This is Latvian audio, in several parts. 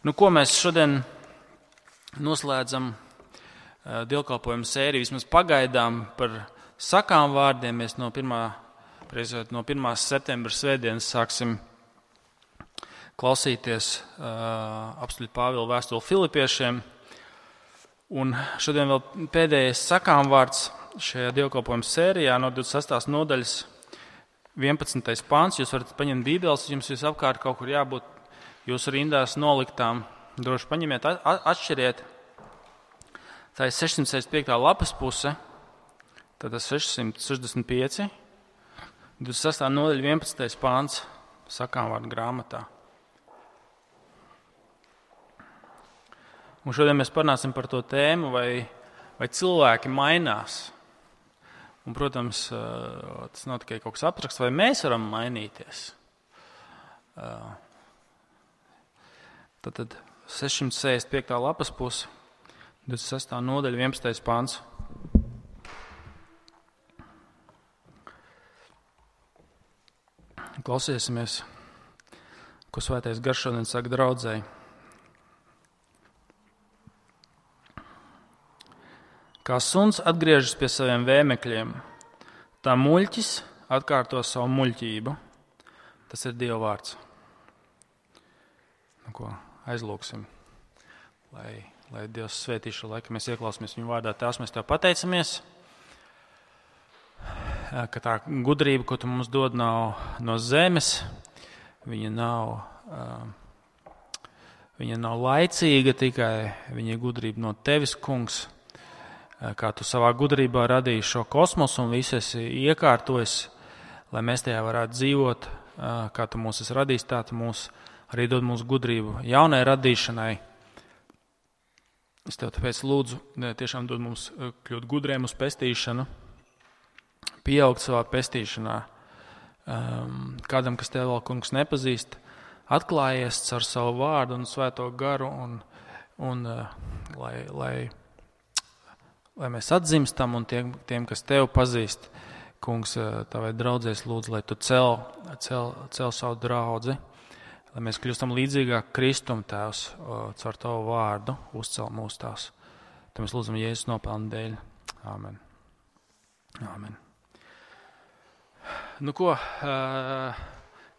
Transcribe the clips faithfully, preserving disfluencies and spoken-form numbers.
Nu, ko mēs šodien noslēdzam uh, dievkalpojumu sēriju, vismaz pagaidām par sakām vārdiem. Mēs no, pirmā, no pirmās septembra svētdienas sāksim klausīties uh, apstuļa Pāvila vēstuli Filipiešiem. Un šodien vēl pēdējais sakām vārds šajā dievkalpojumu sērijā no divdesmit sestās nodaļas vienpadsmitais pāns. Jūs varat paņemt bībeles, jums visapkārt kaut kur jābūt jūsu rindās noliktām. Droši paņemiet, atšķiriet. Tā ir sešsimt sešdesmit piekta lapas puse, tātad sešsimt sešdesmit pieci, divdesmit sestā nodaļa vienpadsmitais pāns sakām vārdu grāmatā. Un šodien mēs parunāsim par to tēmu, vai, vai cilvēki mainās. Un, protams, tas nav tikai kaut kas abstrakts, vai mēs varam mainīties. Tātad sešsimt sešdesmit piekta lapas puse, divdesmit sestā nodaļa, vienpadsmitais pāns. Klausīsimies, ko Svētais Gars šodien saka draudzēji. Kā suns atgriežas pie saviem vēmekļiem, tā muļķis atkārto savu muļķību. Tas ir Dieva vārds. Nu, ko aizlūksim, lai, lai Dievs svētī šo laiku, mēs ieklausāmies viņu vārdā. Tēvs, mēs Tev pateicamies, ka tā gudrība, ko Tu mums dod, nav no zemes, viņa nav, viņa nav laicīga, tikai viņa ir gudrība no Tevis, Kungs. Kā Tu savā gudrībā radīji šo kosmosu un visu esi iekārtojis, lai mēs tajā varētu dzīvot, kā Tu mūs esi radījis, tā Tu mūs arī dod mūsu gudrību jaunai radīšanai. Es Tev tāpēc lūdzu, tiešām dod mums kļūt gudriem uz pestīšanu, pieaugt savā pestīšanā. Kādam, kas Tev vēl, Kungs, nepazīst, atklājies caur savu vārdu un svēto garu, un, un lai, lai, lai mēs atzimstam, un tiem, tiem, kas Tev pazīst, Kungs, Tavai draudzēs lūdzu, lai Tu cel, cel, cel savu draudzi, lai mēs kļūstam līdzīgāk Kristum, Tēvs, caur Tavu vārdu, uzcel mūs Tās. Tad mēs lūdzam Jēzus nopelnu dēļ. Āmen. Āmen. Nu ko,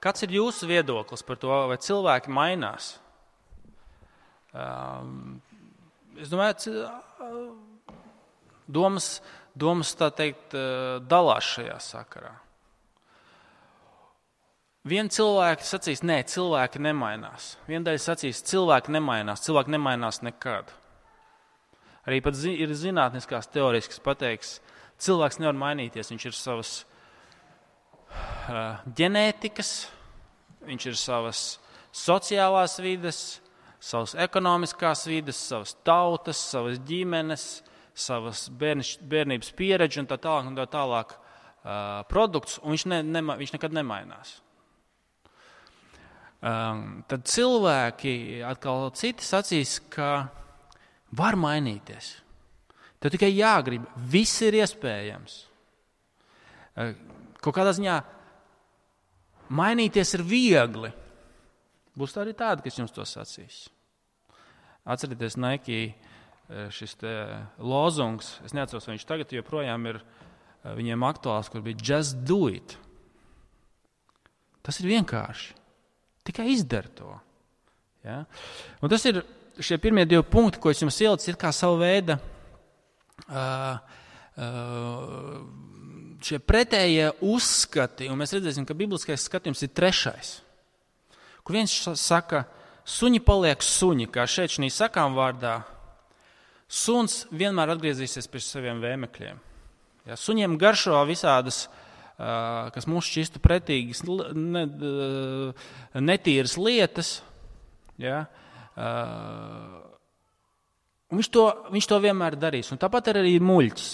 kāds ir jūsu viedoklis par to, vai cilvēki mainās? Es domāju, domas, domas tā teikt, dalās šajā sakarā. Viena cilvēki sacīs, nē, cilvēki nemainās. Viena daļa sacīs, cilvēki nemainās, cilvēki nemainās nekad. Arī pat zi, ir zinātniskās teorijas, kas pateiks, cilvēks nevar mainīties, viņš ir savas uh, ģenētikas, viņš ir savas sociālās vides, savas ekonomiskās vides, savas tautas, savas ģimenes, savas bērniš, bērnības pieredzi un tā tālāk un tā tālāk uh, produkts, un viņš, ne, nema, viņš nekad nemainās. Um, tad cilvēki atkal citi sacīs, ka var mainīties. Tev tikai jāgrib, viss ir iespējams. Uh, kaut kādā ziņā mainīties ir viegli. Būs arī tādi, kas jums to sacīs. Atcerieties, Nike šis te lozungs, es neatceros, vai viņš tagad joprojām ir viņiem aktuāls, kur bija just do it. Tas ir vienkārši. Tikai izdara to. Ja? Un tas ir šie pirmie divi punkti, ko es jums ielicu, ir kā savu veidu uh, uh, šie pretējie uzskati, un mēs redzēsim, ka bibliskais skatījums ir trešais. Kur viens saka, suņi paliek suņi, kā šeit šī sakām vārdā, suns vienmēr atgriezīsies pie saviem vēmekļiem. Ja? Suņiem garšo visādas kas mums šķistu pretīgas, ne, netīras lietas, ja, un viņš to, viņš to vienmēr darīs. Un tāpat arī muļķis,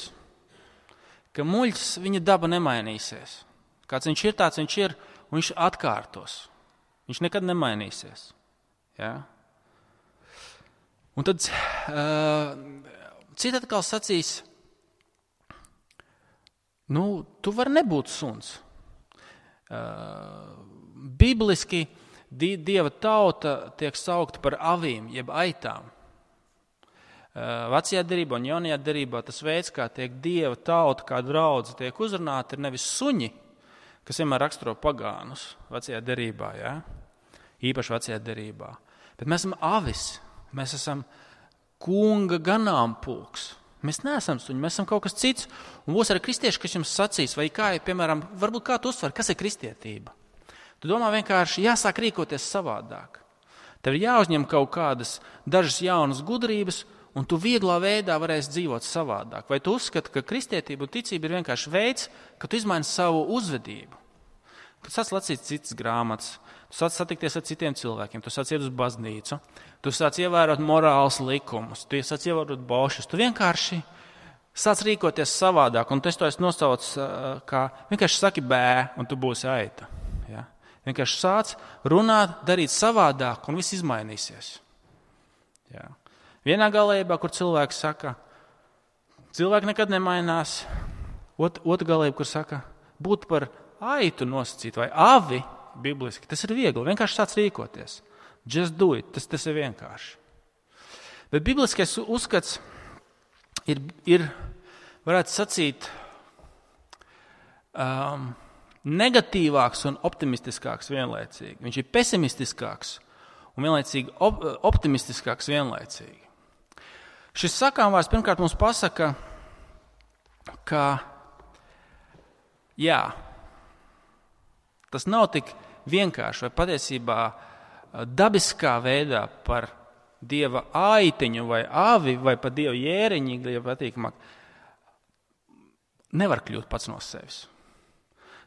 ka muļķis, viņa daba nemainīsies. Kāds viņš ir, tāds viņš ir, un viņš atkārtos. Viņš nekad nemainīsies. Ja. Un tad uh, citi atkal sacīs, nu, tu vari nebūt suns. Uh, bibliski Dieva tauta tiek saukta par avīm, jeb aitām. Vecajā derībā un jaunajā derībā tas veids, kā tiek Dieva tauta, kā draudze tiek uzrunāta, ir nevis suņi, kas vienmēr raksturo pagānus vecajā derībā, ja? Īpaši vecajā derībā. Bet mēs esam avis, mēs esam kunga ganāmpulks. Mēs neesam suņi, mēs esam kaut kas cits. Un būs arī kristieši, kas jums sacīs, vai kā, piemēram, varbūt kā tu uztver, kas ir kristietība? Tu domā vienkārši jāsāk rīkoties savādāk. Tev ir jāuzņem kaut kādas dažas jaunas gudrības, un tu vieglā veidā varēsi dzīvot savādāk. Vai tu uzskati, ka kristietība un ticība ir vienkārši veids, ka tu izmaini savu uzvedību? Kad sāc lasīt citas grāmatas, tu sāc satikties ar citiem cilvēkiem, tu sāc iet uz baznīcu, tu sāc ievērot morāls likumus, tu sāc ievērot bošus, tu vienkārši sāc rīkoties savādāk, un tu to esi nosaucis kā vienkārši saki bē, un tu būsi aita. Ja? Vienkārši sāc runāt, darīt savādāk, un viss izmainīsies. Ja? Vienā galējībā, kur cilvēki saka, cilvēki nekad nemainās, Ot, otra galējība, kur saka, būt par aitu nosacīt vai avi, bibliski, tas ir viegli, vienkārši sāc rīkoties. Just do it, tas, tas ir vienkārši. Bet bibliskais uzskats ir, ir varētu sacīt, um, negatīvāks un optimistiskāks vienlaicīgi. Viņš ir pesimistiskāks un vienlaicīgi op- optimistiskāks vienlaicīgi. Šis sakāmvārds pirmkārt mums pasaka, ka jā, tas nav tik vienkārši vai patiesībā dabiskā veidā par Dieva aitiņu vai avi vai par Dieva jēriņu, ja patīkamāk, nevar kļūt pats no sevis.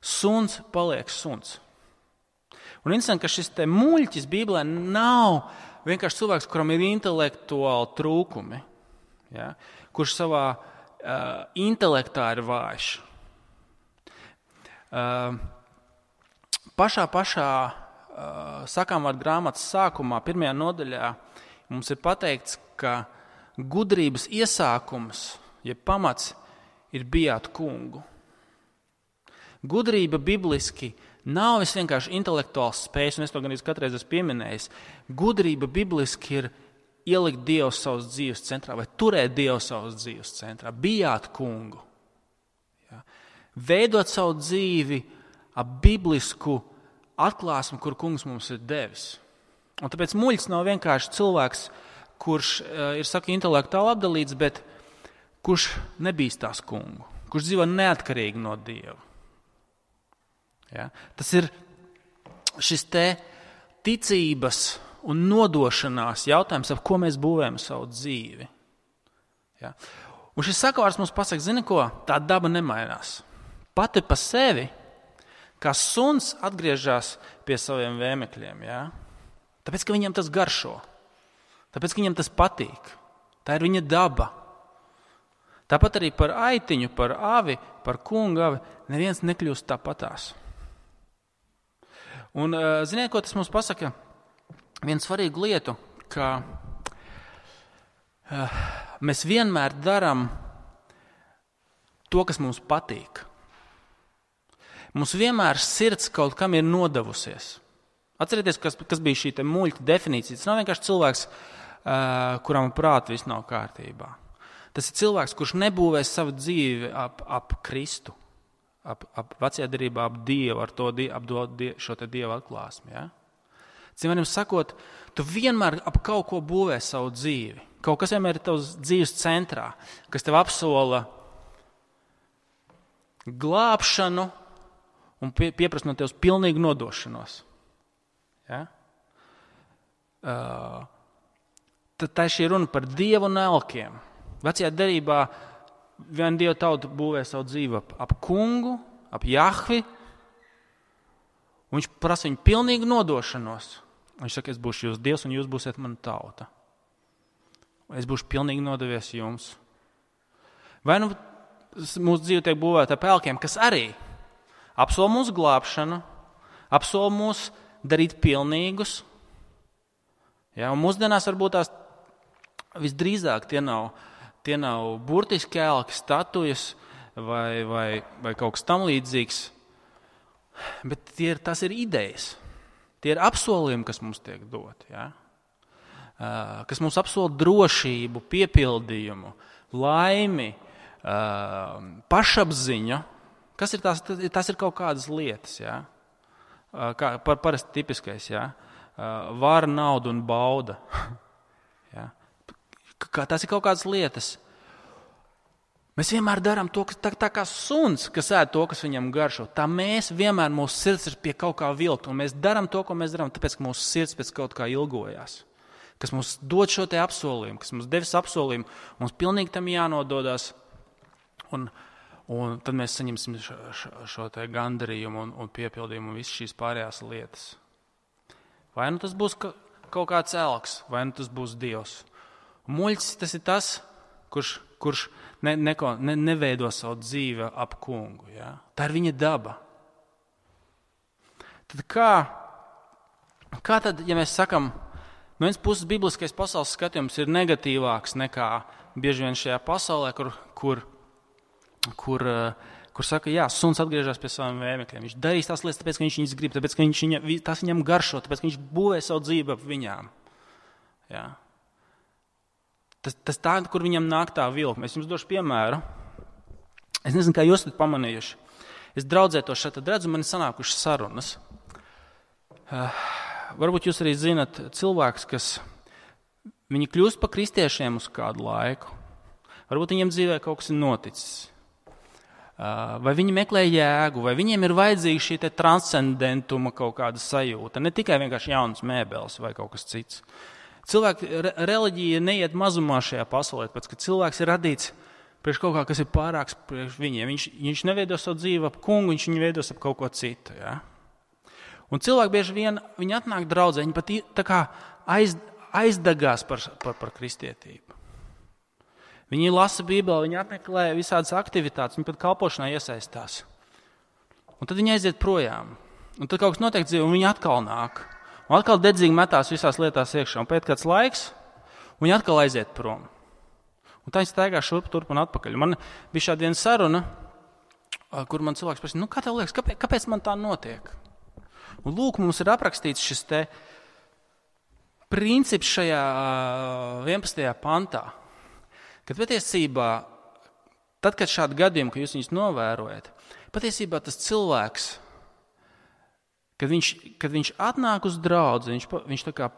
Suns paliek suns. Un interesanti, ka šis te muļķis Bībelē nav vienkārši cilvēks, kuram ir intelektuāli trūkumi, ja, kurš savā uh, intelektā ir vājš. Uh, pašā pašā uh, sakāmvārdu grāmatas sākumā, pirmajā nodaļā, mums ir pateikts, ka gudrības iesākums, ja pamats, ir bijāt kungu. Gudrība bibliski nav vis vienkārši intelektuāls spējas, un es to gan katreiz esmu pieminējis. Gudrība bibliski ir ielikt Dievu savas dzīves centrā vai turēt Dievu savas dzīves centrā. Bijāt kungu. Ja. Veidot savu dzīvi ap biblisku atklāsmu, kur kungs mums ir devis. Un tāpēc muļķis nav vienkārši cilvēks, kurš uh, ir, saka, intelektuāli apdalīts, bet kurš nebīstās kungu, kurš dzīvo neatkarīgi no Dieva. Ja? Tas ir šis te ticības un nodošanās jautājums, ap ko mēs būvējam savu dzīvi. Ja? Un šis sakavārds mums pasaka, zini ko, tā daba nemainās. Pati pa sevi, kā suns atgriežas pie saviem vēmekļiem. Ja? Tāpēc, ka viņam tas garšo. Tāpēc, ka viņam tas patīk. Tā ir viņa daba. Tāpat arī par aitiņu, par avi, par kungu avi, neviens nekļūst tāpatās. Un, ziniet, ko tas mums pasaka? Vienu svarīgu lietu, ka uh, mēs vienmēr darām to, kas mums patīk. Mums vienmēr sirds kaut kam ir nodevusies. Atcerieties, kas, kas bija šī te muļķa definīcija. Tas nav vienkārši cilvēks, uh, kuram prāta viss nav kārtībā. Tas ir cilvēks, kurš nebūvēs savu dzīvi ap, ap Kristu. Ap, ap vecajā derībā, ap Dievu, ar to, ap to, šo te Dieva atklāsmi. Ja? Cimēram sakot, tu vienmēr ap kaut ko būvē savu dzīvi. Kaut kas vienmēr ir tavs dzīves centrā, kas tev apsola glābšanu un pie, pieprasa no tevs pilnīgu nodošanos. Ja? Uh, tad tā ir šī runa par Dievu un elkiem. Vecajā derībā viena Dieva tauta būvē savu dzīvi ap, ap kungu, ap Jahvi, un viņš prasa viņu pilnīgu nodošanos. Viņš saka, es būšu jūs Dievs, un jūs būsiet mana tauta. Es būšu pilnīgi nodevies jums. Vai nu mūsu dzīve tiek būvēta ap elkiem, kas arī apsola mūsu glābšanu, apsola mūs darīt pilnīgus. Ja, un mūsdienās varbūt tās visdrīzāk tie nav Tie nav burtiski elki, statujas vai, vai, vai kaut kas tam līdzīgs, bet tie ir, tas ir idejas. Tie ir apsolījumi, kas mums tiek doti, ja? Kas mums apsola drošību, piepildījumu, laimi, pašapziņu. Kas ir tās? Tas ir kaut kādas lietas, ja? Kā, par, parasti tipiskais, ja? Vara, nauda un bauda. Ja? Tas ir kaut kādas lietas. Mēs vienmēr darām to, kas, tā, tā kā suns, kas ēd to, kas viņam garšo. Tā mēs vienmēr, mūsu sirds ir pie kaut kā vilkt, un mēs darām to, ko mēs darām, tāpēc, ka mūsu sirds pēc kaut kā ilgojās. Kas mums dod šo te apsolījumu, kas mums devis apsolījumu, mums pilnīgi tam jānododās, un, un tad mēs saņemsim šo, šo, šo te gandarījumu un, un piepildījumu un visas šīs pārējās lietas. Vai nu tas būs ka, kaut kāds elks, vai nu tas būs Dievs. Un muļķis tas ir tas, kurš kurš ne, neko, ne, neveido savu dzīvi ap kungu. Ja? Tā ir viņa daba. Tad kā, kā tad, ja mēs sakam, no vienas puses bibliskais pasaules skatījums ir negatīvāks nekā bieži vien šajā pasaulē, kur, kur, kur, kur saka, jā, suns atgriežas pie saviem vēmekļiem. Viņš darīs tās lietas, tāpēc, ka viņš viņas grib, tāpēc, ka viņš viņa, tas viņam garšo, tāpēc, ka viņš būvē savu dzīvi ap viņām. Jā. Tas, tas tā, kur viņam nāk tā vilkme. Es jums došu piemēru. Es nezinu, kā jūs esat pamanījuši. Es draudzē to šeit redzu, man ir sanākušas sarunas. Uh, varbūt jūs arī zinat cilvēks, kas viņi kļūst par kristiešiem uz kādu laiku. Varbūt viņiem dzīvē kaut kas ir noticis. Uh, vai viņi meklē jēgu, vai viņiem ir vajadzīga šī te transcendentuma kaut kāda sajūta. Ne tikai vienkārši jaunas mēbeles vai kaut kas cits. Cilvēki, re, reliģija neiet mazumā šajā pasaulē, pēc, ka cilvēks ir radīts priekš kaut kā, kas ir pārāks priekš viņiem. Viņš, viņš neveido savu dzīvi ap kungu, viņš viņu veidos ap kaut ko citu. Ja? Un cilvēki bieži vien, viņi atnāk draudzē, viņi pat tā kā aiz, aizdagās par, par, par kristietību. Viņi lasa Bībeli, viņi apmeklē visādas aktivitātes, viņi pat kalpošanā iesaistās. Un tad viņi aiziet projām. Un tad kaut kas notiek dzīvē, un viņi atkal nāk. Un atkal dedzīgi metās visās lietās iekšā. Un pēc kāds laiks, viņi atkal aiziet prom. Un tā viņi staigā šurp, turp un atpakaļ. Man bija šāda viena saruna, kur man cilvēks prasīja, nu kā tev liekas, kāpēc, kāpēc man tā notiek? Un lūk, mums ir aprakstīts šis te princips šajā vienpadsmitajā pantā, kad patiesībā, tad, kad šādi gadījumi, ka jūs viņus novērojat, patiesībā tas cilvēks, Kad viņš, kad viņš atnāk uz draudzi, viņš, viņš tā kā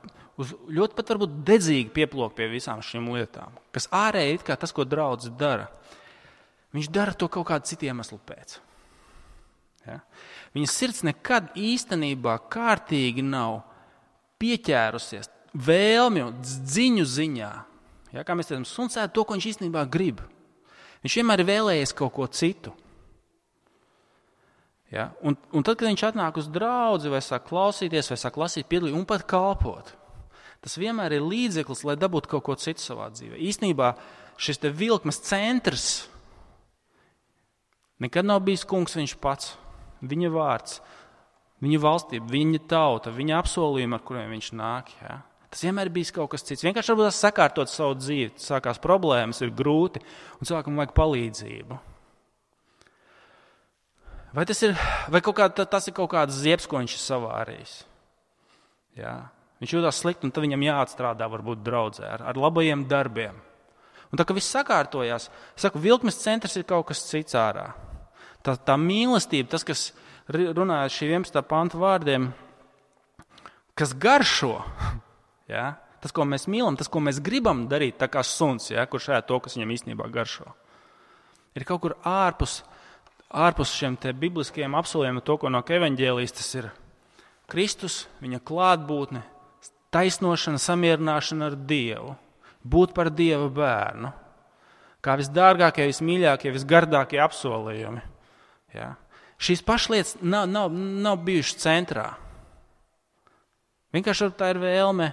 uz, ļoti pat varbūt dedzīgi pieplok pie visām šīm lietām, kas ārēji it kā tas, ko draudzi dara. Viņš dara to kaut kādu citu iemeslu pēc. Ja? Viņa sirds nekad īstenībā kārtīgi nav pieķērusies vēlmju, dziņu ziņā. Ja? Kā mēs teicam, suns ēd to, ko viņš īstenībā grib. Viņš vienmēr ir vēlējies kaut ko citu. Ja? Un, un tad, kad viņš atnāk uz draudzi, vai sāk klausīties, vai sāk lasīt, piedalīt un pat kalpot, tas vienmēr ir līdzeklis, lai dabūtu kaut ko citu savā dzīvē. Īstenībā šis te vilkmes centrs nekad nav bijis kungs viņš pats, viņa vārds, viņa valstība, viņa tauta, viņa apsolījumi, ar kuriem viņš nāk. Ja? Tas vienmēr ir bijis kaut kas cits. Vienkārši varbūt tas sakārtot savu dzīvi, sākās problēmas, ir grūti, un cilvēkam vajag palīdzību. Vai tas ir, vai kaut kā, tas ir kaut kāds ziebs, ko viņš ir savārījis? Jā. Viņš jūtās slikti, un tad viņam jāatstrādā varbūt draudzē ar, ar labajiem darbiem. Un tā, ka viss sakārtojās, es saku, vilkmes centrs ir kaut kas cits ārā. Tā, tā mīlestība, tas, kas runāja šī vienpadsmitā panta vārdiem, kas garšo, jā, tas, ko mēs mīlam, tas, ko mēs gribam darīt, tā kā suns, jā, kurš ēd to, kas viņam īstenībā garšo, ir kaut kur ārpus, ārpus šiem te bibliskiem apsolījumiem, to, ko no evaņģēlijas, tas ir Kristus, viņa klātbūtne, taisnošana, samierināšana ar Dievu, būt par Dieva bērnu, kā visdārgākie, vismīļākie, visgardākie apsolījumi. Ja? Šīs pašlietas nav, nav, nav bijušas centrā. Vienkārši tā ir vēlme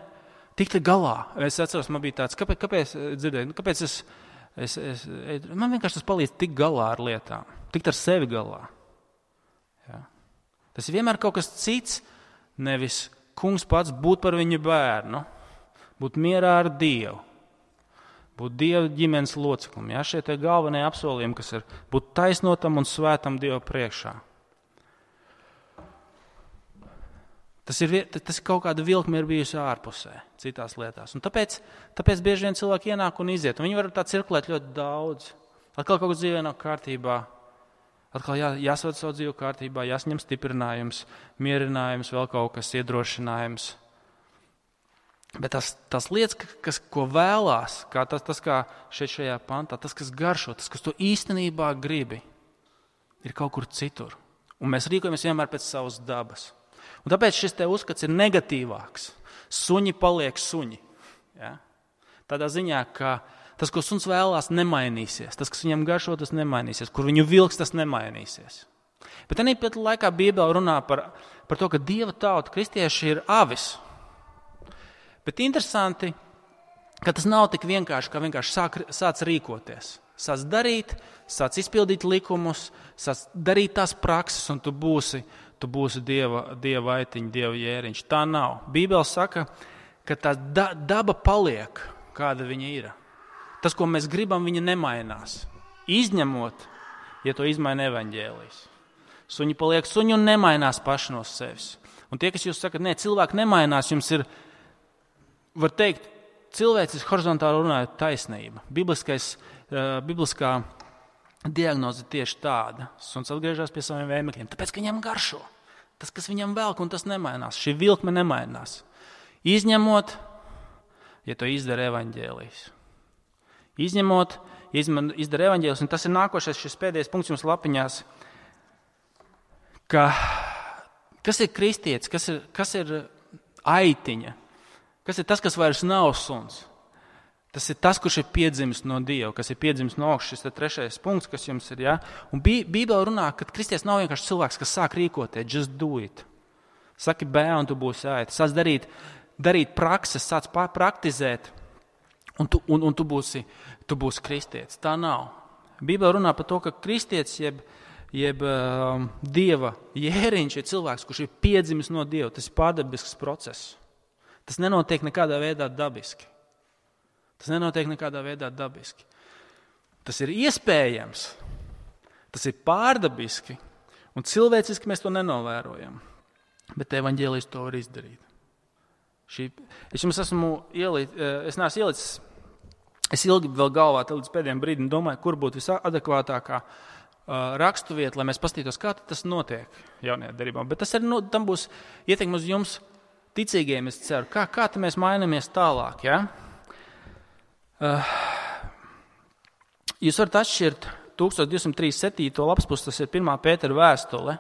tikt galā. Es atceros, man bija tāds, kāpēc, kāpēc dzirdēju, kāpēc es, es, es, man vienkārši tas palīdz tikt galā ar lietām, tikt ar sevi galā. Ja? Tas ir vienmēr kaut kas cits, nevis kungs pats būt par viņu bērnu, būt mierā ar Dievu, būt Dieva ģimenes loceklim. Ja? Šie te galvenie apsolījumi, kas ir būt taisnotam un svētam Dievu priekšā. Tas ir, tas ir kaut kāda vilkme ir bijusi ārpusē, citās lietās. Un tāpēc, tāpēc bieži vien cilvēki ienāk un iziet. Un viņi var tā cirkulēt ļoti daudz. Atkal kaut kas dzīvē nav kārtībā. Atkal jā, jāsved savu dzīvi kārtībā, jāsņem stiprinājums, mierinājums, vēl kaut kas iedrošinājums. Bet tas, tas lietas, kas, ko vēlās, kā tas, tas kā šeit šajā pantā, tas, kas garšo, tas, kas to īstenībā gribi, ir kaut kur citur. Un mēs rīkojamies vienmēr pēc savas dabas. Un tāpēc šis te uzskats ir negatīvāks. Suņi paliek suņi. Ja? Tādā ziņā, ka tas, ko suns vēlās, nemainīsies. Tas, kas viņam garšo, tas nemainīsies. Kur viņu vilks, tas nemainīsies. Bet arī pēc laikā Bībele runā par, par to, ka Dieva tauta, kristieši, ir avis. Bet interesanti, ka tas nav tik vienkārši, kā vienkārši sāk, sāc rīkoties. Sāc darīt, sāc izpildīt likumus, sāc darīt tās prakses, un tu būsi, tu būsi dieva, dieva aitiņa, dieva jēriņš. Tā nav. Bībele saka, ka tā da, daba paliek, kāda viņa ir. Tas, ko mēs gribam, viņa nemainās. Izņemot, ja to izmaina evaņģēlijs. Suņi paliek suņi un nemainās paši no sevis. Un tie, kas jūs sakat, ne, cilvēki nemainās, jums ir, var teikt, cilvēcis horizontāli runājot taisnība. Bibliskais, uh, bibliskā diagnoze tieši tāda. Suns atgriežas pie saviem vēmekļiem, tāpēc, ka viņam garšo. Tas, kas viņam velk, un tas nemainās. Šī vilkme nemainās. Izņemot, ja to izdara evaņģēlijs. Izņemot, ja izdara evaņģēlijs, un tas ir nākošais, šis pēdējais punkts jums lapiņās, ka kas ir kristietis, kas ir, kas ir aitiņa, kas ir tas, kas vairs nav suns. Tas ir tas, kurš ir piedzimis no Dieva, kas ir piedzimis no augšas, šis trešais punkts, kas jums ir. Ja? Un Bībele runā, ka kristietis nav vienkārši cilvēks, kas sāk rīkoties, just do it. Saki bē, un tu būsi aita. Sāc darīt, darīt prakses, sāc praktizēt, un tu, un, un tu, būsi, tu būsi kristietis. Tā nav. Bībele runā par to, ka kristietis jeb, jeb um, Dieva jēriņš ir cilvēks, kurš ir piedzimis no Dieva. Tas ir pārdabisks process. Tas nenotiek nekādā veidā dabiski. Tas nenotiek nekādā veidā dabiski. Tas ir iespējams, tas ir pārdabiski, un cilvēciski mēs to nenovērojam. Bet evaņģēlijs to var izdarīt. Šī, es jums esmu ielīt, es neesmu ielicis, es ilgi vēl galvā līdz pēdējiem brīdim domāju, kur būtu visadekvātākā uh, rakstuvieta, lai mēs pastītos, kā tas notiek jaunajā derībā. Bet tas arī, no, tam būs ietekme uz jums ticīgiem, es ceru. Kā, kā mēs mainamies tālāk, ja? Uh, jūs varat atšķirt tūkstoš divsimt trīsdesmit septīto lapas pusi, tas ir pirmā Pētera vēstule.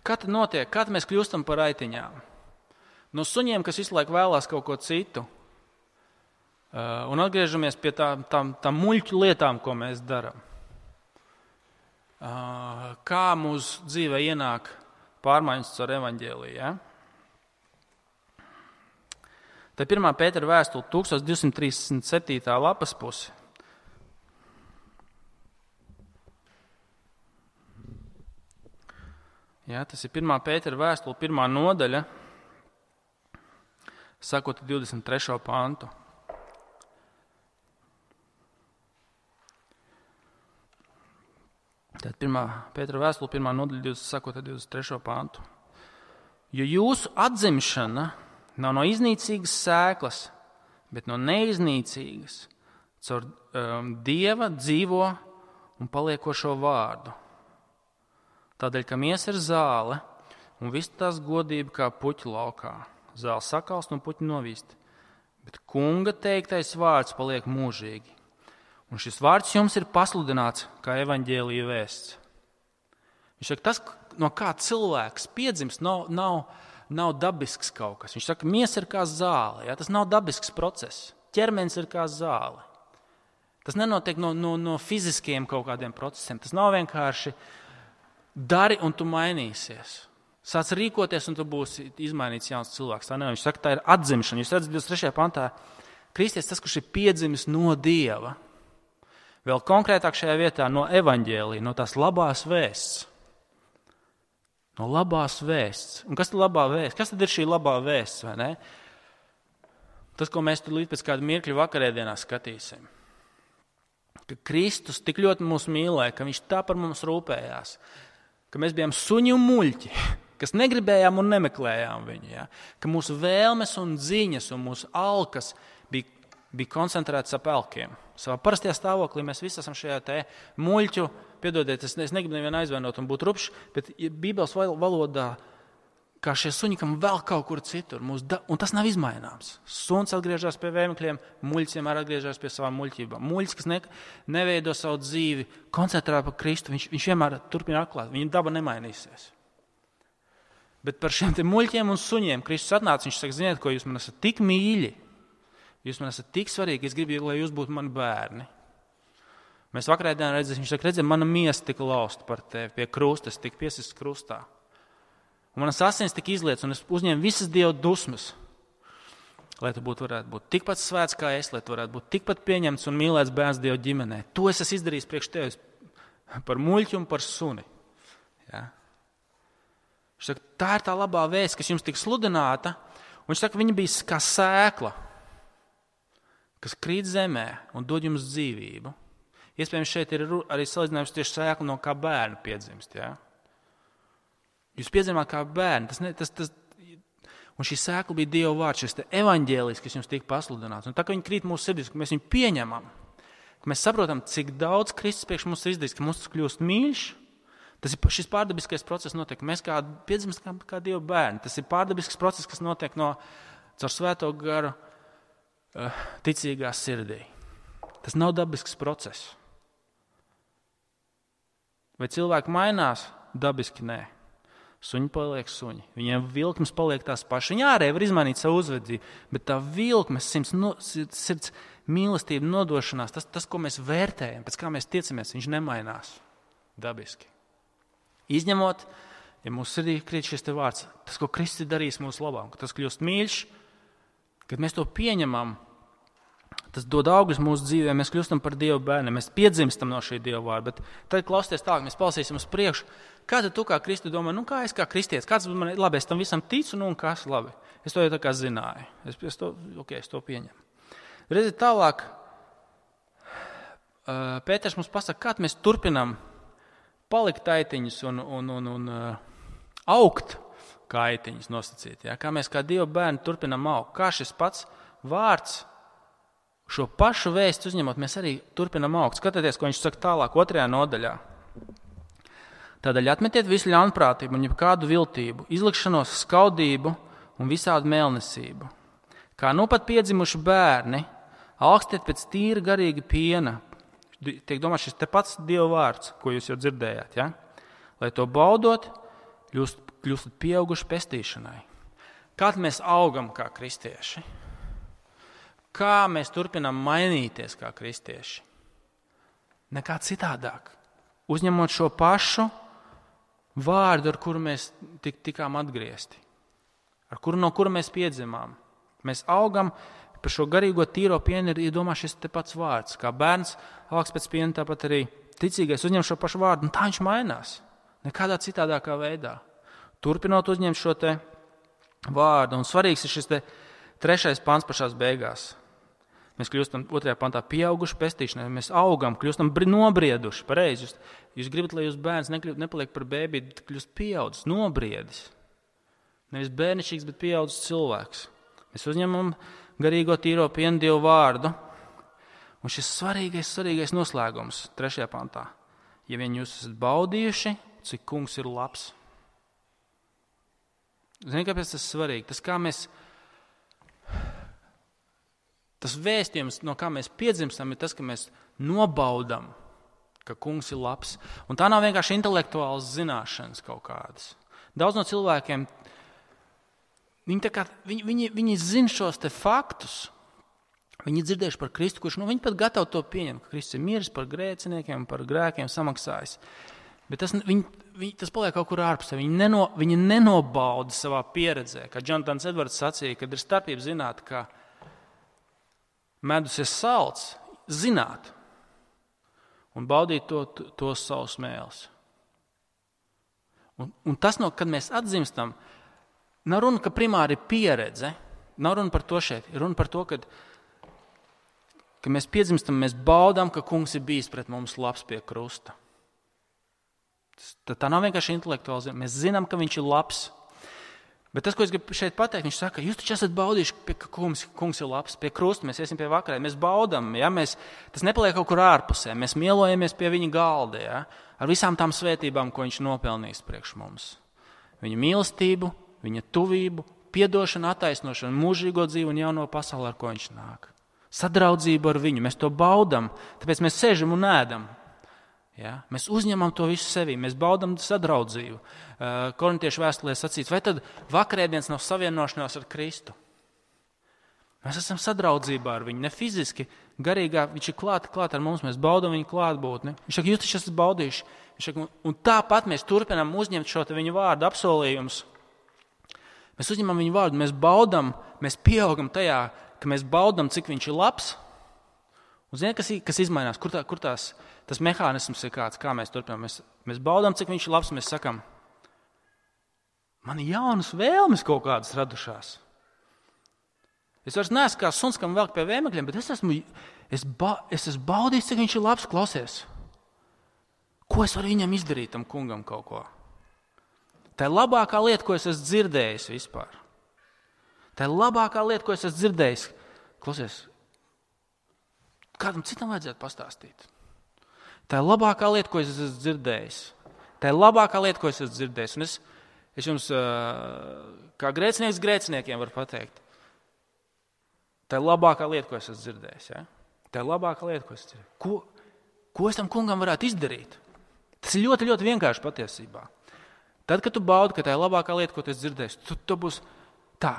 Kā tad notiek? Kā mēs kļūstam par aitiņām? No suņiem, kas visu laiku vēlās kaut ko citu. Uh, un atgriežamies pie tām, tām, tām muļķu lietām, ko mēs darām. Uh, kā mūsu dzīvē ienāk pārmaiņas ar evaņģēliju, ja? Tā ir pirmā Pētera vēstule, tūkstoš divsimt trīsdesmit septītā lapas puse. Jā, tas ir pirmā Pētera vēstule, pirmā nodaļa, sakot divdesmit trešo pantu. Tātad pirmā Pētera vēstule, pirmā nodaļa, sakot divdesmit trešo pantu. Jo jūsu atzimšana nav no iznīcīgas sēklas, bet no neiznīcīgas, caur um, Dieva dzīvo un paliekošo vārdu. Tādēļ, ka miesa ir zāle un viss tās godība kā puķu laukā. Zāle sakalst un puķi novīst. Bet kunga teiktais vārds paliek mūžīgi. Un šis vārds jums ir pasludināts kā evaņģēlija vēsts. Viņš saka, tas, no kā cilvēks piedzimst, nav, nav Nav dabisks kaut kas. Viņš saka, miesa ir kā zāle. Ja? Tas nav dabisks process. Ķermenis ir kā zāle. Tas nenotiek no, no, no fiziskiem kaut kādiem procesiem. Tas nav vienkārši dari un tu mainīsies. Sāc rīkoties un tu būsi izmainīts jauns cilvēks. Tā nav. Viņš saka, tā ir atzimšana. Jūs redzat, divdesmit trešajā pantā, kristietis tas, kurš ir piedzimis no Dieva. Vēl konkrētāk šajā vietā no evaņģēlija, no tās labās vēsts. No labās vēsts. Un kas tad labā vēsts? Kas tad ir šī labā vēsts, vai ne? Tas, ko mēs līdz pēc kāda mirkļa vakarēdienā skatīsim. Ka Kristus tik ļoti mūs mīlēja, ka viņš tā par mums rūpējās, ka mēs bijām suņi un muļķi, kas negribējām un nemeklējām viņu. Ja? Ka mūsu vēlmes un ziņas un mūsu alkas bija, bija koncentrētas ap elkiem. Savā parastajā stāvoklī mēs visi esam šajā te muļķu, piedodiet, es, es negribu nevienu aizvainot un būt rupšs, bet Bībeles valodā, kā šie suņi, kam vēl kaut kur citur, da, un tas nav izmaināms. Suns atgriežas pie vēmekļiem, muļķis vienmēr atgriežas pie savām muļķībām. Muļķis, kas ne, neveido savu dzīvi, koncentrē par Kristu, viņš, viņš vienmēr turpina atklāt, viņa daba nemainīsies. Bet par šiem te muļķiem un suņiem Kristus atnāca, viņš saka, ziniet, ko jūs man esat tik mīļi, jūs man esat tik svarīgi, es gribu, lai jūs būtu mani bērni. Mēs vakarēdienā redzēsim, viņš saka, redzēsim, mana miesa tika lausta par tevi pie krusta, es tika piesists krustā. Un manas asins tika izlietas, un es uzņēmu visas Dieva dusmas, lai tu būtu, varētu būt tikpat svēts kā es, lai tu varētu būt tikpat pieņemts un mīlēts bērns Dieva ģimenē. To es esmu izdarījis priekš tevis par muļķu un par suni. Ja? Viņš saka, tā ir tā labā vēsts, kas jums tika sludināta, un viņš saka, viņa bija kā sēkla, kas krīt zemē un dod jums dzīvību. Iespējams, šeit ir arī salīdzinājums tieši sēkla no kā bērnu piedzimst. Ja? Jūs piedzimāt kā bērni. Tas ne, tas, tas, un šī sēkla bija Dieva vārds, šis evaņģēlijs, kas jums tika pasludināts. Un tā, ka viņi krīt mūsu sirdīs, ka mēs viņu pieņemam, ka mēs saprotam, cik daudz Kristus priekš mums ir izdarījis, ka mums tas kļūst mīļš, tas ir šis pārdabiskais process notiek. Mēs kā piedzimst kā, kā Dieva bērni. Tas ir pārdabisks process, kas notiek no caur svēto garu uh, ticīgā sirdī. Tas nav dabisks process. Vai cilvēki mainās? Dabiski nē. Suņi paliek suņi. Viņiem vilkmes paliek tās pašas. Viņi ārēji var izmainīt savu uzvedību, bet tā vilkmes, sirds, no, sirds mīlestība, nodošanās, tas, tas, ko mēs vērtējam, pēc kā mēs tiecamies, viņš nemainās dabiski. Izņemot, ja mūsu sirdī krīt šis te vārds, tas, ko Kristus ir darījis mūsu labā, ka tas kļūst mīļš, kad mēs to pieņemam, tas dod augļus mūsu dzīvē, mēs kļūstam par Dieva bērniem, mēs piedzimstam no šī Dieva vārda, bet tad klausieties tālāk, mēs palasīsim uz priekšu. Kā tad tu kā Kristu domā, nu kā es kā kristietis, kāds man, labi, es tam visam ticu, nu un kas, labi. Es to jau tā kā zināju, es, es, to, okay, es to pieņemu. Redziet tālāk, Pēters mums pasaka, kā mēs turpinam palikt taitiņus un, un, un, un augt kā aitiņus nosacīt. Ja? Kā mēs kā Dieva bērni turpinam augt, kā šis pats vārds, šo pašu vēstu uzņemot, mēs arī turpinam augt. Skatieties, ko viņš saka tālāk, otrajā nodaļā. Tādēļ atmetiet visu ļaunprātību un jebkādu viltību, izlikšanos, skaudību un visādu mēlnesību. Kā nu pat piedzimuši bērni, augstiet pēc tīra garīga piena. Tiek domāts šis te pats Dieva vārds, ko jūs jau dzirdējāt. Ja? Lai to baudot, kļūst, kļūstat pieauguši pestīšanai. Kā mēs augam kā kristieši? Kā mēs turpinām mainīties kā kristieši? Nekā citādāk. Uzņemot šo pašu vārdu, ar kuru mēs tik, tikām atgriezti, ar kuru, no kura mēs piedzimām. Mēs augam par šo garīgo tīro pienu, ir iedomā šis te pats vārds. Kā bērns augs pēc piena, tāpat arī ticīgais uzņem šo pašu vārdu, un tā viņš mainās. Nekādā citādākā veidā. Turpinot uzņemt šo te vārdu, un svarīgs ir šis te trešais pants pašās beigās. Mēs kļūstam otrajā pantā pieauguši pestīšanai, mēs augam, kļūstam nobrieduši, pareizi. Jūs, jūs gribat, lai jūs bērns nekļūst, nepaliek par bēbī, bet kļūst pieaudzis, nobriedis. Nevis bērnišķīgs, bet pieaudzis cilvēks. Mēs uzņemam garīgo tīro pienu Dievu vārdu, un šis svarīgais, svarīgais noslēgums trešajā pantā. Ja vien jūs esat baudījuši, cik kungs ir labs. Zini, kāpēc tas svarīgi? Tas, kā mēs... Tas vēstījums, no kā mēs piedzimstam, ir tas, ka mēs nobaudam, ka kungs ir labs. Un tā nav vienkārši intelektuāls zināšanas kaut kādas. Daudz no cilvēkiem, viņi, tā kā, viņi, viņi, viņi zina šos te faktus, viņi ir dzirdējuši par Kristu, kurš, nu, viņi pat gatavi to pieņemt, ka Kristus ir miris par grēciniekiem, par grēkiem samaksājis. Bet tas, viņi, viņi, tas paliek kaut kur ārpus. Viņi, neno, viņi nenobauda savā pieredzē, kā Jonatans Edvards sacīja, kad ir starpība zināt, ka medus ir salds, zināt un baudīt to, to savus mēles. Un, un tas, no, kad mēs atzimstam, nav runa, ka primāri ir pieredze, nav runa par to šeit, ir runa par to, kad, ka mēs piedzimstam, mēs baudām, ka kungs ir bijis pret mums labs pie krusta. Tā nav vienkārši intelektuāli. Mēs zinām, ka viņš ir labs. Bet tas, ko es gribu šeit pateikt, viņš saka, jūs taču esat baudījuši, ka kungs, kungs ir labs, pie krusta, mēs iesim pie vakarē, mēs baudam, ja? mēs, tas nepaliek kaut kur ārpusē, mēs mielojamies pie viņa galda, ja? Ar visām tām svētībām, ko viņš nopelnījis priekš mums. Viņa mīlestību, viņa tuvību, piedošanu, attaisnošanu, mūžīgo dzīvi un jauno pasauli, ar ko viņš nāk. Sadraudzību ar viņu, mēs to baudam, tāpēc mēs sēžam un ēdam. Ja? Mēs uzņemam to visu sevī, mēs baudam sadraudzību. Uh, Korintiešu vēstulē sacīts, vai tad vakarēdienas nav savienošanās ar Kristu? Mēs esam sadraudzībā ar viņu, ne fiziski, garīgā, viņš ir klāt, klāt ar mums, mēs baudam viņu klātbūtni. Viņš saka, jūs taču esat baudījuši. Viņš saka, un tāpat mēs turpinām uzņemt šo viņu vārdu apsolījumus. Mēs uzņemam viņu vārdu, mēs baudam, mēs pieaugam tajā, ka mēs baudam, cik viņš ir labs. Un ziniet, kas, kas izmainās, kur, tā, kur tās, tas mehānisms ir kāds, kā mēs turpinām. Mēs, mēs baudām, cik viņš ir labs, mēs sakam, man ir jaunas vēlmes kaut kādas radušās. Es vairs neesmu kā suns, kam velk pie vēmekļiem, bet es esmu, es, ba, es esmu baudījis, cik viņš ir labs, klausies. Ko es varu viņam izdarīt, tam kungam kaut ko? Tā ir labākā lieta, ko es esmu dzirdējis vispār. Tā ir labākā lieta, ko es esmu dzirdējis. Klausies, kādam citam vajadzētu pastāstīt. Tā ir labākā lieta, ko es esmu dzirdējis. Tā ir labākā lieta, ko es esmu dzirdējis. Un es, es jums, kā grēcinieks grēciniekiem varu pateikt, tā ir labākā lieta, ko es esmu dzirdējis. Ja? Tā ir labākā lieta, ko es esmu dzirdējis. Ko, ko es tam kungam varētu izdarīt? Tas ir ļoti, ļoti vienkārši patiesībā. Tad, kad tu baudi, ka tā ir labākā lieta, ko tu esi dzirdējis, tu, tu būs tā.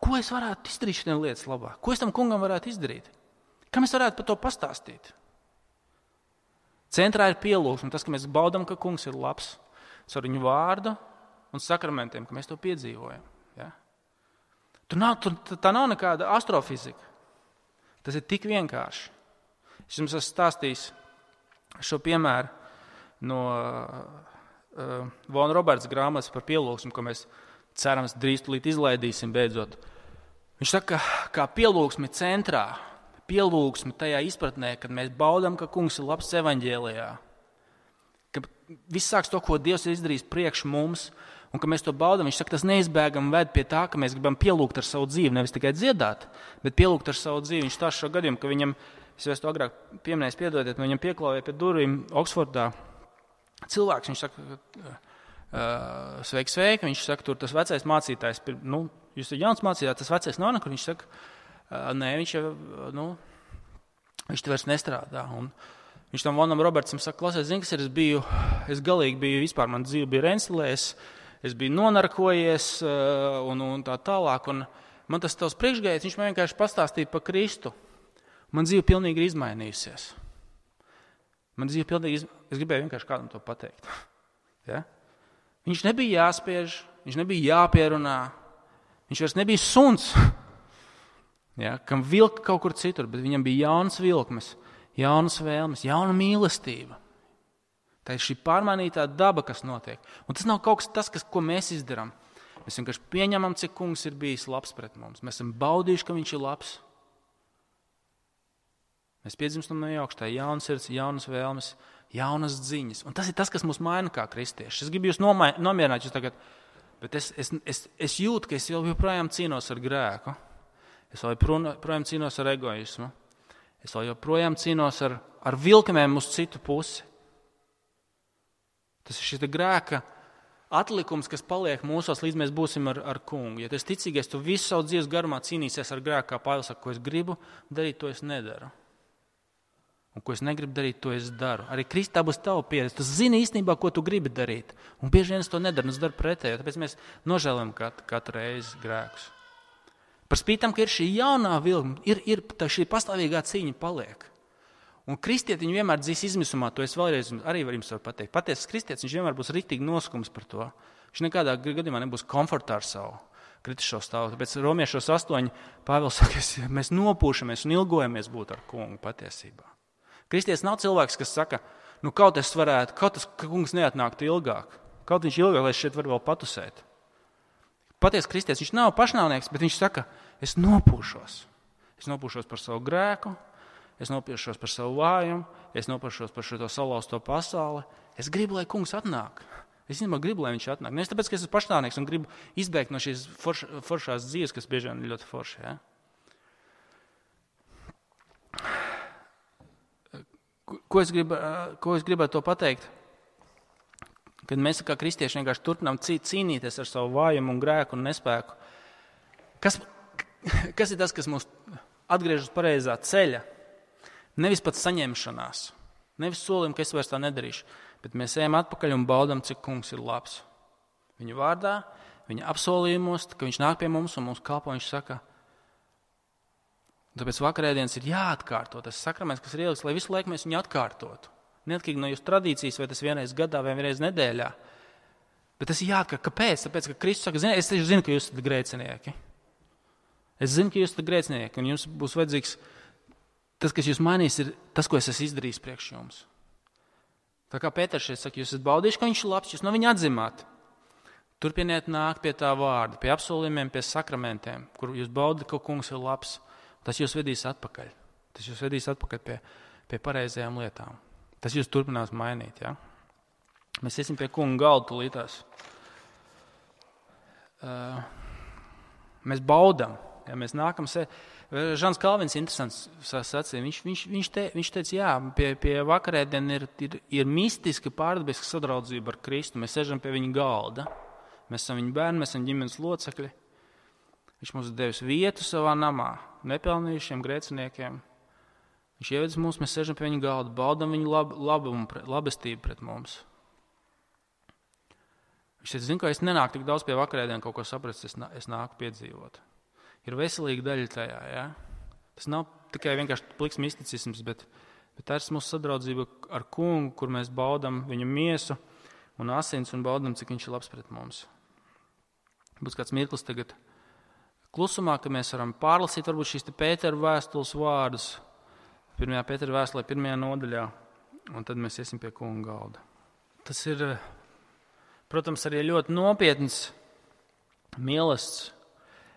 Ko es varētu izdarīt šodien lietas labāk? Ko es tam kungam varētu izdarīt? Kam es varētu par to pastāstīt? Centrā ir pielūgsme, tas, ka mēs baudam, ka kungs ir labs, ar viņu vārdu un sakramentiem, ka mēs to piedzīvojam. Ja? Tur nav, tur, tā nav nekāda astrofizika. Tas ir tik vienkārši. Es jums esmu stāstījis šo piemēru no uh, Von Roberts grāmatas par pielūgsmu, ko mēs cerams drīz tulīt izlaidīsim beidzot. Viņš saka, kā pielūgsme centrā, pielūgsme tajā izpratnē, kad mēs baudam, ka kungs ir labs evaņģēlijā, ka viss sāks to, ko Dievs ir izdarījis priekš mums, un ka mēs to baudam. Viņš saka, tas neizbēgam ved pie tā, ka mēs gribam pielūgt ar savu dzīvi, nevis tikai dziedāt, bet pielūgt ar savu dzīvi. Viņš stāsta šo gadījumu, ka viņam, es jau to agrāk pieminēju, piedodiet, viņam pieklāvēja pie durvīm Oksfordā cilvēks. Viņš saka, uh, sveiki, sveiki. Viņš saka, tur tas vecais mācītājs, nu, jūs esat jauns mācītājs, tas vecais nav nekur. Viņš saka, uh, nē, viņš jau, nu, viņš te vairs nestrādā. Un viņš tam Vonam Robertsam saka, klausies, zini, kas ir, es biju, es galīgi biju, vispār man dzīve bija renstilēs, es biju nonarkojies uh, un, un tā tālāk. Un man tas tavs priekšgājējs, viņš man vienkārši pastāstīja par Kristu. Man dzīve pilnīgi ir izmainījusies. Man dzīve pilnīgi iz... Es gribēju vienkārši kādam to pateikt. Ja? Viņš nebija jāspiež, viņš nebija jāpierunā, viņš vairs nebija suns, ja? Kam vilka kaut kur citur, bet viņam bija jaunas vilkmes, jaunas vēlmes, jauna mīlestība. Tā ir šī pārmainītā daba, kas notiek. Un tas nav kaut kas tas, kas, ko mēs izdarām. Mēs vienkārši pieņemam, cik kungs ir bijis labs pret mums. Mēs esam baudījuši, ka viņš ir labs. Mēs piedzimstam no augšā, jaunas sirds, jaunas vēlmes, jaunas dziņas. Un tas ir tas, kas mūs maina kā kristieši. Es gribu jūs nomai, nomierināt jūs tagad, bet es, es, es, es jūtu, ka es joprojām cīnos ar grēku. Es joprojām cīnos ar egoismu. Es joprojām cīnos ar, ar vilkamiem uz citu pusi. Tas ir šis grēka atlikums, kas paliek mūsos, līdz mēs būsim ar, ar kungu. Ja tu esi ticīgais, tu visu savu dzīves garumā cīnīsies ar grēku, kā Pāvils saka, ko es gribu darīt, to es nedaru. Un ko es negribu darīt, to es daru. Arī Kristā būs tava pieredze. Tu zini īstenībā, ko tu gribi darīt. Un bieži vien es to nedaru, un es daru pretējo. Tāpēc mēs nožēlojam katru, katru reizi grēkus. Par spītam, ka ir šī jaunā vilna, ir, ir šī pastāvīgā cīņa paliek. Un kristieti viņu vienmēr dzīs izmisumā, to es vēlreiz arī varu jums pateikt. Patiesas kristietis, viņš vienmēr būs riktīgi noskums par to. Viņš nekādā gadījumā nebūs komfortā ar savu kritisko stāvu. Tāpēc Romiešos astoņi Pāvils saka, mēs nopūšamies un ilgojamies būt ar kungu patiesībā. Kristietis nav cilvēks, kas saka, nu kaut es varētu, kaut tas kungs neatnāktu ilgāk. Kaut viņš ilgāk, lai es šeit varu vēl patusēt. Patiesi kristietis, viņš nav pašnāvnieks, bet viņš saka, es nopūšos. Es nopūšos par savu grēku, es nopiršos par savu vājumu, es nopiršos par šo salauzto pasauli. Es gribu, lai kungs atnāk. Es īstenībā gribu, lai viņš atnāk. Nevis tāpēc, ka es esmu pašnāvnieks un gribu izbēgt no šīs forš, foršās dzīves, kas bieži vien ir ļoti forši. Ja? Ko es gribu, ko es gribētu to pateikt? Kad mēs kā kristieši vienkārši turpinām cīnīties ar savu vājumu un grēku un nespēku. Kas, kas ir tas, kas mūs atgriež uz pareizā ceļa? Nevis pat saņemšanās, nevis solim, ka es vairs tā nedarīšu, bet mēs ejam atpakaļ un baudam, cik kungs ir labs. Viņa vārdā, viņa apsolījumos, ka viņš nāk pie mums un mums kalpo, viņš saka, tāpēc vakarēdienas ir jāatkārto tas sakraments, kas ir ielikts, lai visu laiku mēs viņu atkārtotu. Neatkarīgi no jūsu tradīcijas, vai tas vienreiz gadā vai vienreiz nedēļā. Bet tas ir jāatkārto. Kāpēc? Tāpēc, ka Kristus saka, zini, es taču zinu, ka jūs esat grēcinieki. Es zinu, ka jūs esat grēcinieki, un jums būs vajadzīgs tas, kas jūs mainīs, ir tas, ko es esmu izdarījis priekš jums. Tā kā Pēters šeit saka, jūs esat baudījuši, ka viņš ir labs, jūs no viņa atzimāt. Turpiniet nākt pie tā vārda, pie apsolījumiem, pie sakramentiem, kur jūs baudat, ka kungs ir labs. Tas jūs vedīs atpakaļ. Tas jūs vedīs atpakaļ pie, pie pareizajām lietām. Tas jūs turpinās mainīt. Ja? Mēs iesim pie kunga galda tūlītās. Uh, mēs baudam. Ja? Mēs nākam se... Žans Kalvins interesants sacīja. Viņš, viņš, viņš, te, viņš teica, jā, pie, pie vakarēdien ir, ir, ir mistiska pārdabiska sadraudzība ar Kristu. Mēs sežam pie viņa galda. Mēs esam viņa bērni, mēs esam ģimenes locekļi. Viņš mums ir devis vietu savā namā, nepelnījušiem grēciniekiem. Viņš ievedis mūs, mēs sežam pie viņa galda, baudam viņa lab, labumu, labestību pret mums. Viņš teica, zinu, ka es nenāku tik daudz pie vakarēdien kaut ko saprast, es, es nāku piedzīvot. Ir veselīga daļa tajā, ja? Tas nav tikai vienkārši pliks misticisms, bet, bet tā ir mūsu sadraudzība ar kungu, kur mēs baudam viņa miesu un asins un baudam, cik viņš ir labs pret mums. Būs kāds mirklis tagad klusumā, ka mēs varam pārlasīt varbūt šīs te Pētera vēstules vārdus, pirmajā Pētera vēstulē, pirmajā nodaļā, un tad mēs iesim pie kunga galda. Tas ir, protams, arī ļoti nopietns mielasts,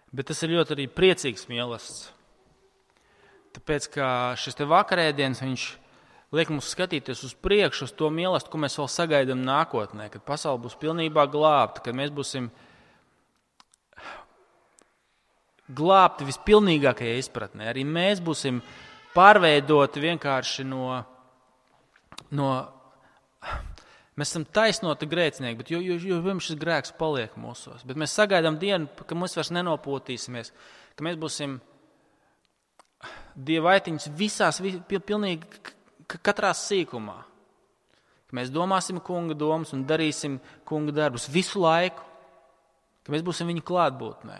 bet tas ir ļoti arī priecīgs mielasts. Tāpēc, ka šis te vakarēdienas, viņš liek mums skatīties uz priekšu, uz to mielastu, ko mēs vēl sagaidām nākotnē, kad pasaule būs pilnībā glābta, kad mēs būsim glābti vispilnīgākajā izpratnē. Arī mēs būsim pārveidoti vienkārši no, no mēs esam taisnoti grēcinieki, bet jo, jo, jo pirms šis grēks paliek mūsos. Bet mēs sagaidām dienu, ka mēs vairs nenopūtīsimies, ka mēs būsim Dieva aitiņas visās, pilnīgi katrā sīkumā. Ka mēs domāsim kunga domas un darīsim kunga darbus visu laiku, ka mēs būsim viņa klātbūtnē.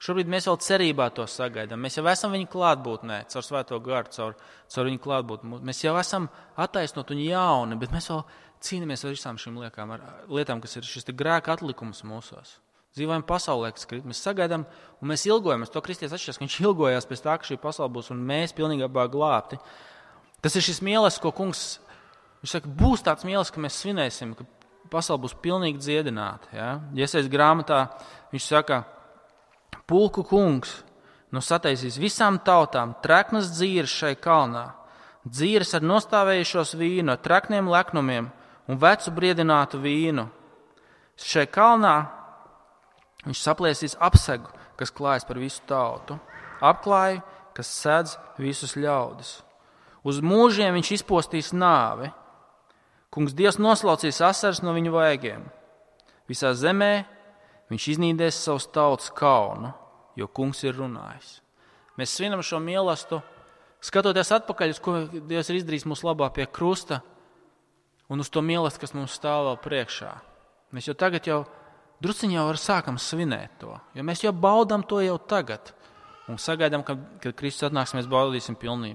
Šobrīd mēs vēl cerībā to sagaidām. Mēs jau esam viņa klātbūtnē, caur svēto garu, caur, caur viņa klātbūtni. Mēs jau esam attaisnot un jauni, bet mēs vēl cīnāmies ar visām šīm lietām, ar lietām, kas ir šis grēka atlikums mūsos. Dzīvojam pasaulē, kas krīt. Mēs sagaidām un mēs ilgojamies. To kristietis atšķiras, ka viņš ilgojās pēc tā, ka šī pasaule būs un mēs pilnībā glābti. Tas ir šis mīlestības, ko kungs, viņš saka, būs tāds mīlestības, ka mēs svinēsim, ka pasaule būs pilnīgi dziedināta. Ja? Iesaist grāmatā, viņš saka, pulku kungs nu sataisīs visām tautām treknas dzīres šai kalnā, dzīres ar nostāvējušos vīnu, ar trekniem leknumiem un vecu briedinātu vīnu. Šai kalnā viņš saplēsīs apsegu, kas klājas par visu tautu, apklāju, kas sedz visus ļaudis. Uz mūžiem viņš izpostīs nāvi. Kungs Dievs noslaucīs asaras no viņu vaigiem. Visā zemē viņš iznīdēs savus tautas kaunu, jo kungs ir runājis. Mēs svinam šo mīlestību, skatoties atpakaļ, uz ko Dievs ir izdarījis mūsu labā pie krusta, un uz to mīlestību, kas mums stāv vēl priekšā. Mēs jau tagad jau drusciņi jau var sākam svinēt to, jo mēs jau baudām to jau tagad. Un sagaidām, ka, kad Kristus atnāks, mēs baudīsim pilnī,